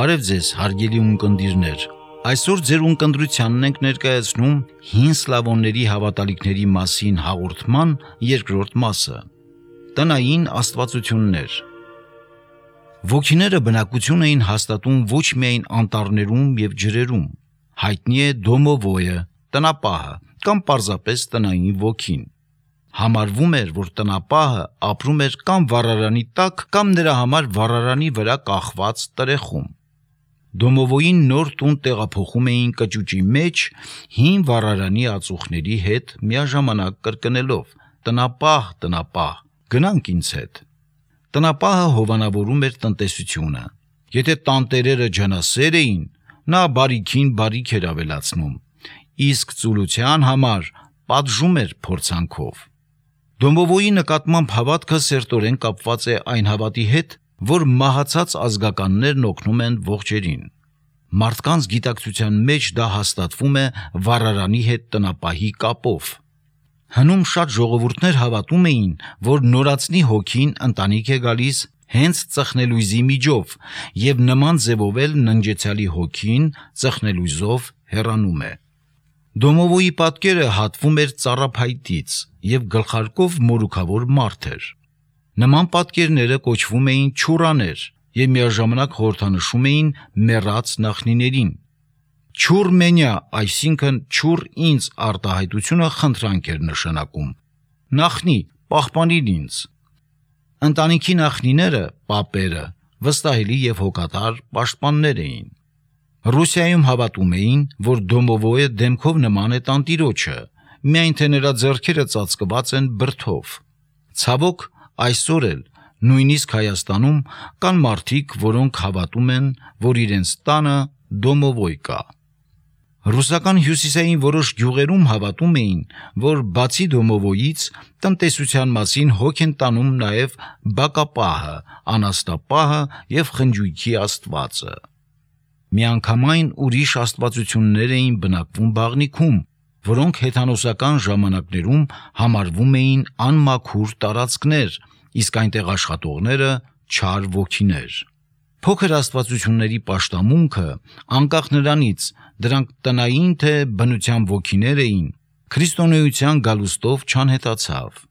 Բարև ձեզ, հարգելի ունկնդիրներ։ Այսօր ձեր ունկնդրությանն ենք ներկայացնում հին սլավոնների հավատալիքների մասին հաղորդման երկրորդ մասը։ Տնային աստվածություններ։ Ոգիները բնակություն էին հաստատում ոչ միայն անտառներում եւ ջրերում։ Հայտնի է դոմովոյը, տնապահը կամ պարզապես տնային ոգին։ Համարվում էր, որ տնապահը ապրում էր կամ վառարանի տակ, կամ նրա համար վառարանի վրա կախված տրեխում։ Դոմովոյին նոր տուն տեղափոխում էին կճուճի մեջ, հին վառարանի ածուխների հետ միաժամանակ կրկնելով. «Տնապահ, տնապահ, գնանք ինձ հետ»։ Տնապահը հովանավորում էր տնտեսությունը։ Եթե տանտերերը ջանասեր էին, նա բարիքին բարիք էր ավելացնում, իսկ ծուլության համար պատժում էր փորձանքով։ Դոմովոյի նկատմամբ հավատքը սերտորեն կապված է այն հավատի հետ, որ մահացած ազգականներն օգնում են ողջերին։ Մարդկանց գիտակցության մեջ դա հաստատվում է վառարանի հետ տնապահի կապով։ Հնում շատ ժողովուրդներ հավատում էին, որ նորածնի հոգին ընտանիք է գալիս հենց ծխնելույզի միջով, եւ նման ձևով էլ ննջեցյալի հոգին ծխնելույզով հեռանում է։ Դոմովոյի պատկերը հատվում էր ծառափայտից եւ գլխարկով մորուքավոր մարդ էր։ Նման պատկերները կոչվում էին չուրաներ եւ միաժամանակ խորհրդանշում էին մեռած նախնիներին։ Չուր մենյա, այսինքն չուր ինձ արտահայտությունը խնդրանք էր նշանակում։ Նախնի, պահպանիր ինձ։ Ընտանիքի նախնիները, պապերը, վստահելի եւ հոգատար պաշտպաններ էին։ Ռուսիայում հավատում էին, որ դոմովոյը դեմքով նման է տանտիրոջը, միայն թե նրա ձեռքերը ծածկված են բրդով։ Ցավոք, այսօր էլ նույնիսկ Հայաստանում կան մարդիկ, որոնք հավատում են, որ իրենց տանը դոմովոյ կա։ Ռուսական հյուսիսային որոշ գյուղերում հավատում էին, որ բացի դոմովոյից տնտեսության մասին հոգ են տանում նաև բակապահը, անաստապահը եւ խնջույքի աստվածը։ Միանգամայն ուրիշ աստվածություններ էին բնակվում բաղնիքում, որոնք հեթանոսական ժամանակներում համարվում էին անմաքուր տարածքներ, իսկ այնտեղ աշխատողները չար ոգիներ։ Փոքր աստվածությունների պաշտամունքը, անկախ նրանից դրանք տնային թե բնության ոգիներ էին, քրիստոնեության գալուստով չանհետացավ։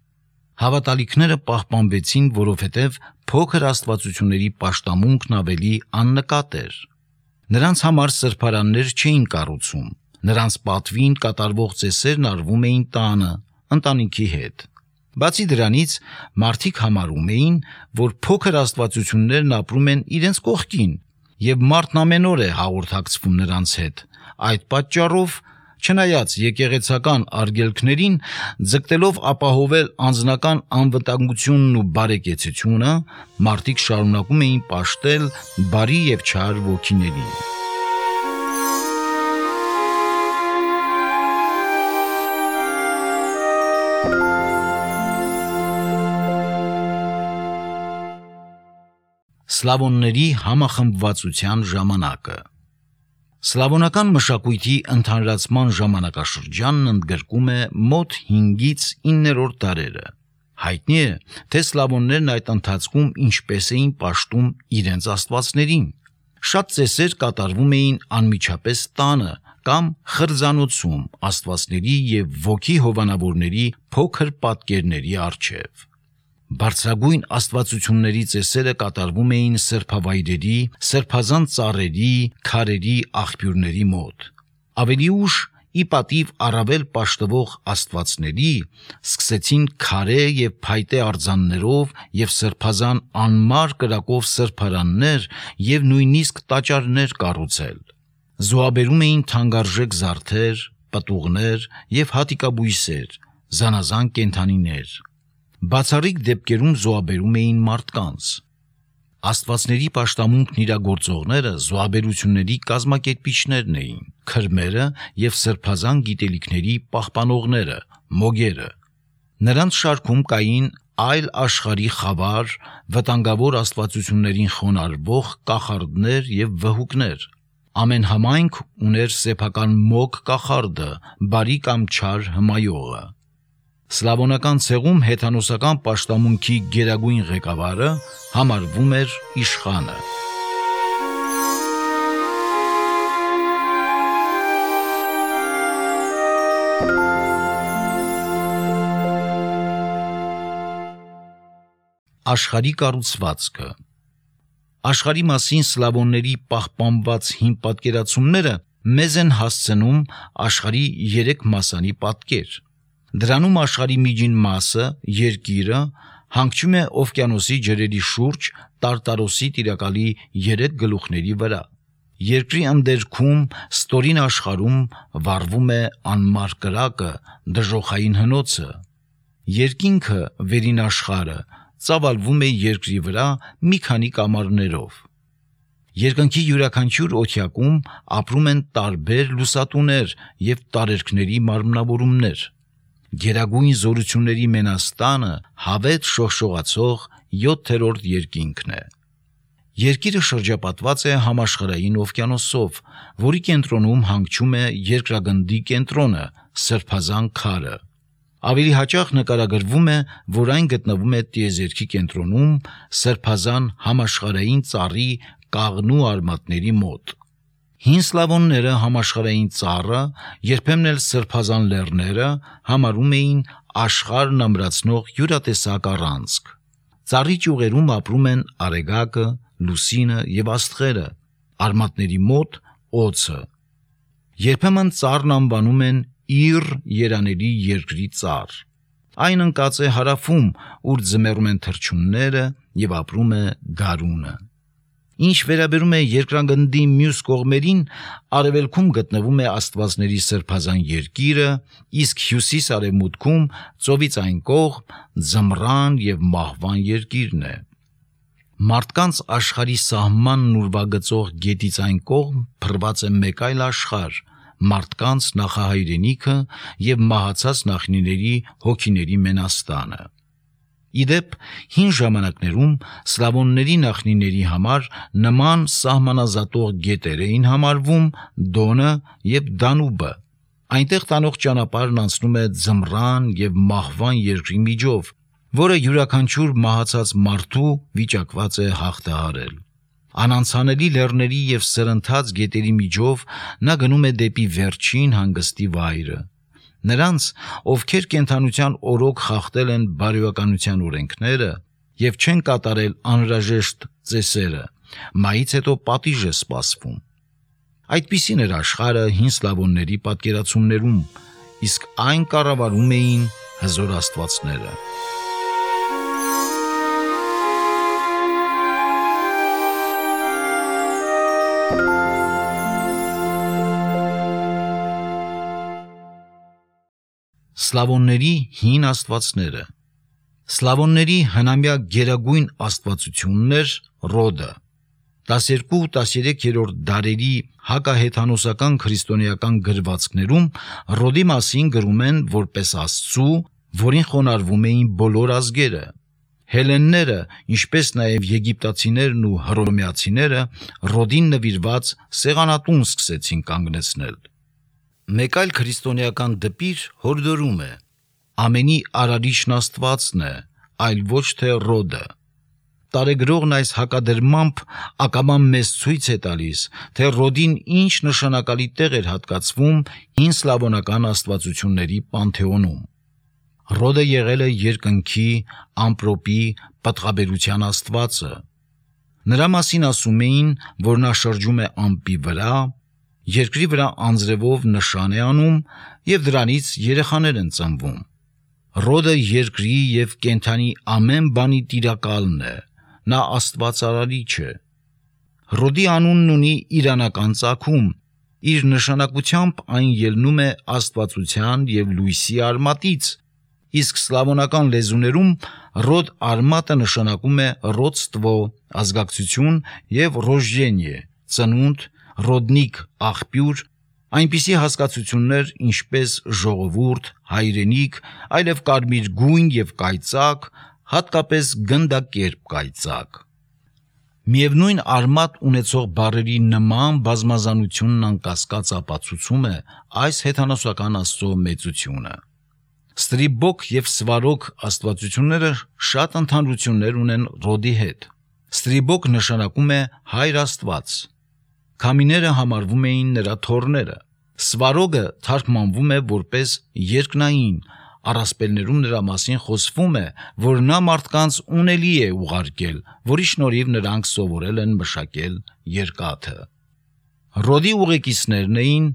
Հավատալիքները պահպանվեցին, որովհետև փոքր աստվածությունների պաշտամունքն ավելի աննկատ էր։ Նրանց համար սրբարաններ չէին կառուցում, նրանց պատվին կատարվող ծեսերն արվում էին տանը, ընտանիքի հետ։ Բացի դրանից, մարդիկ համարում էին, որ փոքր աստվածություններն ապրում են իրենց կողքին, եւ մարդն ամեն օր է հաղորդակցվում նրանց հետ։ Այդ պատճառով, չնայած եկեղեցական արգելքներին, ձգտելով ապահովել անձնական անվտանգությունն ու բարեկեցությունը, մարդիկ շարունակում էին պաշտել բարի եւ չար ոգիներին։ Սլավոնների համախմբվածության ժամանակը։ Սլավոնական մշակույթի ընդհանրացման ժամանակաշրջանն ընդգրկում է մոտ 5-ից 9-րդ դարերը։ Հայտնի է, թե սլավոններն այդ ընթացքում ինչպես էին պաշտում իրենց աստվածներին։ Շատ ծեսեր կատարվում էին անմիջապես տանը կամ խրձանոցում աստվածների եւ ոգի հովանավորների փոքր պատկերների առջև։ Բարձրագույն աստվածությունների ծեսերը կատարվում էին սրբավայրերի, սրբազան ծառերի, քարերի աղբյուրների մոտ։ Ավելի ուշ, ի պատիվ առավել պաշտվող աստվածների, սկսեցին քարե եւ փայտե արձաններով եւ սրբազան անմար կրակով սրբարաններ եւ նույնիսկ տաճարներ կառուցել։ Զոհաբերում էին թանկարժեք զարդեր, պտուղներ եւ հատիկաբույսեր, զանազան կենդանիներ։ Բացառիկ դեպքերում զոհաբերում էին մարդկանց։ Աստվածների պաշտամունքն իրագործողները զոհաբերությունների կազմակերպիչներն էին, քրմերը եւ սրբազան գիտելիքների պահպանողները, մոգերը։ Նրանց շարքում կային այլ աշխարհի խավար, վտանգավոր աստվածություններին խոնարհվող կախարդներ եւ վհուկներ։ Ամեն համայնք ուներ սեփական մոգ կախարդը, բարի կամ չար հմայողը։ Սլավոնական ցեղում հեթանոսական պաշտամունքի գերագույն ղեկավարը համարվում էր իշխանը։ Աշխարհի կառուցվածքը։ Աշխարհի մասին սլավոնների պահպանված հին պատկերացումները մեզ են հասցնում աշխարհի 3 մասանի պատկեր։ Դրանում աշխարհի միջին մասը, երկիրը, հանգչում է օվկիանոսի ջրերի շուրջ Տարտարոսի տիրակալի 3 գլուխների վրա։ Երկրի ընդերքում ստորին աշխարհում վառվում է անմար կրակը, դժոխային հնոցը։ Երկինքը, վերին աշխարհը, ծավալվում է երկրի վրա մի քանի կամարներով։ Երկնքի յուրաքանչյուր օթյակում ապրում են տարբեր լուսատուներ և տարերքների մարմնավորումներ։ Գերագույն զորությունների մենաստանը հավետ շողշողացող 7-րդ երկինքն է։ Երկիրը շրջապատված է համաշխարհային օվկիանոսով, որի կենտրոնում հանգչում է երկրագնդի կենտրոնը՝ Սրբազան քարը։ Ավելի հաճախ նկարագրվում է, որ այն գտնվում է տիեզերքի կենտրոնում Սրբազան համաշխարհային ծառի կաղնու արմատների մոտ։ Հին սլավոնները համաշխարհային ծառը, երբեմն էլ Սրբազան լեռները համարում էին աշխարհն ամրացնող յուրատեսակ առանցք։ Ծառի ճյուղերում ապրում են արեգակը, լուսինը և աստղերը, արմատների մոտ օձը։ Երբեմն ծառն անվանում են Իր երանելի երկրի ծառ։ Այն ընկած է հարավում, ուր ձմեռում են թռչունները և ապրում է գարունը։ Ինչ վերաբերում է երկրագնդի մյուս կողմերին, արևելքում գտնվում է աստվածների սրբազան երկիրը, իսկ հյուսիս-արևմուտքում ծովից այն կողմ ձմռան և մահվան երկիրն է։ Մարդկանց աշխարհի սահմանն ուրվագծող գետից այն կողմ փռված է մեկ այլ աշխարհ՝ մարդկանց նախահայրենիքը և մահացած նախնիների հոգիների մենաստանը։ Իդեպ, հին ժամանակներում սլավոնների նախնիների համար նման սահմանազատող գետեր էին համարվում Դոնը և Դանուբը։ Այնտեղ տանող ճանապարհն անցնում է ձմռան և մահվան երկրի միջով, որը յուրաքանչյուր մահացած մարդու վիճակված է հաղթահարել։ Անանցանելի լեռների և սրընթաց գետերի միջով նա գնում է դեպի վերջին հանգստի վայրը։ Նրանց, ովքեր կենդանության օրոք խախտել են բարոյականության օրենքները և չեն կատարել անհրաժեշտ ծեսերը, մահից հետո պատիժ է սպասվում։ Այդպիսին էր աշխարհը հին սլավոնների պատկերացումներում, իսկ այն կառավարում էին հզոր աստվածները։ Սլավոնների հին աստվածները։ Սլավոնների հնամյա գերագույն աստվածությունն էր Ռոդը։ 12-13-րդ դարերի հակահեթանոսական քրիստոնեական գրվածքներում Ռոդի մասին գրում են որպես Աստծու, որին խոնարհվում էին բոլոր ազգերը։ Հելենները, ինչպես նաև եգիպտացիներն ու հռոմեացիները Ռոդին նվիրված սեղանատուն սկսեցին կանգնեցնել։ Մեկ այլ քրիստոնեական դպիր հորդորում է. ամենի արարիչն Աստվածն է, այլ ոչ թե Ռոդը։ Տարեգրողն այս հակադրմամբ ակամա մեզ ցույց է տալիս, թե Ռոդին ինչ նշանակալի տեղ էր հատկացվում հին սլավոնական աստվածությունների պանթեոնում։ Ռոդը եղել է երկնքի, ամպրոպի, պտղաբերության աստվածը։ Նրա մասին ասում էին, որ նա շրջում է ամպի վրա, երկրի վրա անձրևով նշան է անում և դրանից երեխաներ են ծնվում։ Ռոդը երկրի և կենդանի ամեն բանի տիրակալն է, նա աստված արարիչ է։ Ռոդի անունն ունի իրանական ծագում, իր նշանակությամբ այն ելնում է աստվածության և լույսի արմատից, իսկ սլավոնական լեզուներում Ռոդ արմատը նշանակում է ռոդստվո, ազգակցություն և ռոժդենիե, ծնունդ, ռոդնիկ, աղբյուր, այնպիսի հասկացություններ, ինչպես ժողովուրդ, հայրենիք, այլև կարմիր գույն և կայծակ, հատկապես գնդակերպ կայծակ։ Միևնույն արմատ ունեցող բառերի նման բազմազանությունն անկասկած ապացուցում է այս հեթանոսական Աստծո մեծությունը։ Ստրիբոք և Սվարոք աստվածությունները շատ ընդհանրություններ ունեն Ռոդի հետ։ Ստրիբոք նշանակում է հայր Աստված։ Քամիները համարվում էին նրա թոռները։ Սվարոգը թարգմանվում է որպես երկնային, առասպելներում նրա մասին խոսվում է, որ նա մարդկանց ունելի է ուղարկել, որի շնորհիվ նրանք սովորել են մշակել երկաթը։ Ռոդի ուղեկիցներն էին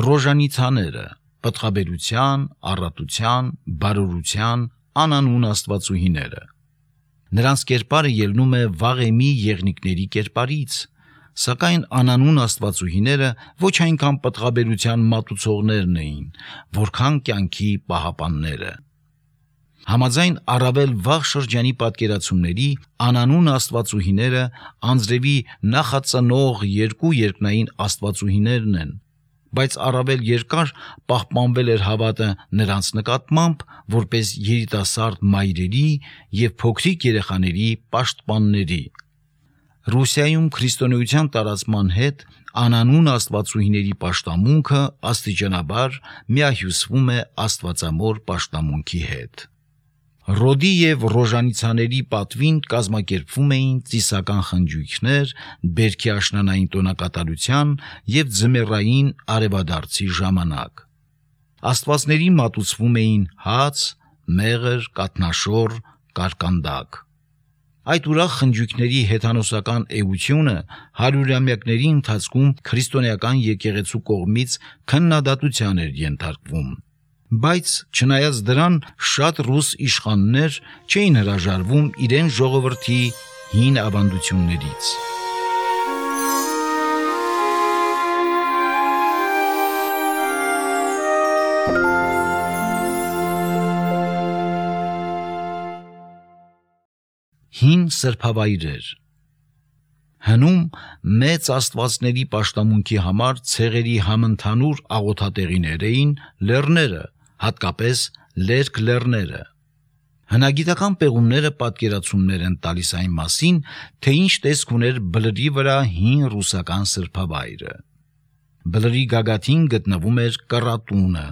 ռոժանիցաները, պտղաբերության, առատության, բարօրության անանուն աստվածուհիները։ Նրանց կերպարը ելնում է վաղեմի եղնիկների կերպարից, սակայն անանուն աստվածուհիները ոչ այնքան պտղաբերության մատուցողներն էին, որքան կյանքի պահապանները։ Համաձայն առավել վաղ շրջանի պատկերացումների, անանուն աստվածուհիները անձրևի նախածնող երկու երկնային աստվածուհիներն են, բայց առավել երկար պահպանվել էր հավատը նրանց նկատմամբ որպես երիտասարդ մայրերի և փոքրիկ երեխաների պաշտպանների։ Ռուսիայում քրիստոնեության տարածման հետ անանուն աստվածուհիների պաշտամունքը աստիճանաբար միահյուսվում է աստվածամոր պաշտամունքի հետ։ Ռոդի և ռոժանիցաների պատվին կազմակերպվում էին ծիսական խնջույքներ բերքի աշնանային տոնակատարության և ձմեռային արևադարձի ժամանակ։ Աստվածների մատուցվում էին հաց, մեղր, կաթնաշոռ, կարկանդակ։ Այդ ուրախ խնջույքների հեթանոսական էությունը հարյուրամյակների ընթացքում քրիստոնեական եկեղեցու կողմից քննադատության էր ենթարկվում, բայց չնայած դրան շատ ռուս իշխաններ չէին հրաժարվում իրեն ժողովրդի հին ավանդություններից։ Հին սրբավայրեր։ Հնում մեծ աստվածների պաշտամունքի համար ցեղերի համընդհանուր աղոթատեղիներ էին լեռները, հատկապես լերկ լեռները։ Հնագիտական պեղումները պատկերացումներ են տալիս այն մասին, թե ինչ տեսք ուներ բլրի վրա հին ռուսական սրբավայրը։ Բլրի գագաթին գտնվում էր կռատունը,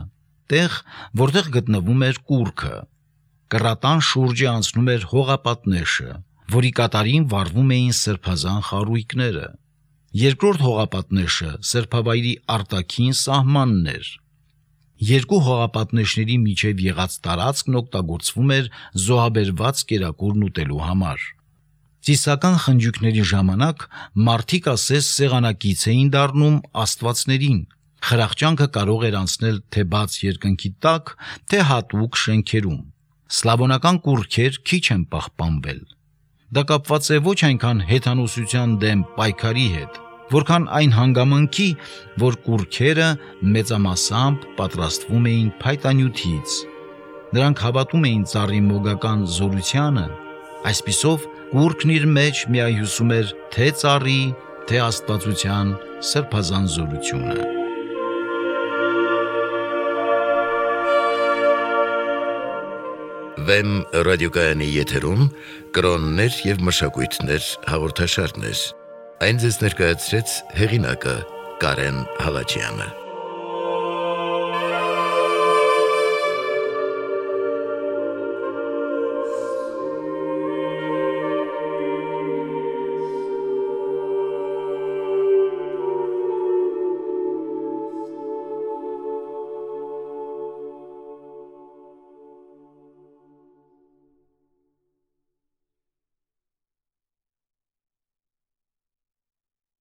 տեղ, որտեղ գտնվում էր կուռքը։ Կռատան շուրջը անցնում էր հողապատնեշը, որի կատարին վառվում էին սրբազան խարույկները։ Երկրորդ հողապատնեշը սրբավայրի արտաքին սահմանն էր։ Երկու հողապատնեշների միջև եղած տարածքն օգտագործվում էր զոհաբերված կերակուրն ուտելու համար։ Ծիսական խնջույքների ժամանակ մարդիկ ասես սեղանակից էին դառնում աստվածներին։ Խրախճանքը կարող էր անցնել թե բաց երկնքի տակ, թե հատուկ շենքերում։ Սլավոնական կուռքեր քիչ են պահպանվել։ Դա կապված է ոչ այնքան հեթանոսության դեմ պայքարի հետ, որքան այն հանգամանքի, որ կուռքերը մեծամասամբ պատրաստվում էին փայտանյութից։ Նրանք հավատում էին ծառի մոգական զորությանը, այսպիսով կուռքն իր մեջ միահյուսում էր թե ծառի, թե աստվածության սրբազան զորությունը։ Վեմ ռադիոկայանի եթերում կրոններ և մշակույթներ հաղորդաշարներ։ Այն ձեզ ներկայացրեց հեղինակը Կարեն Հալաջյանը։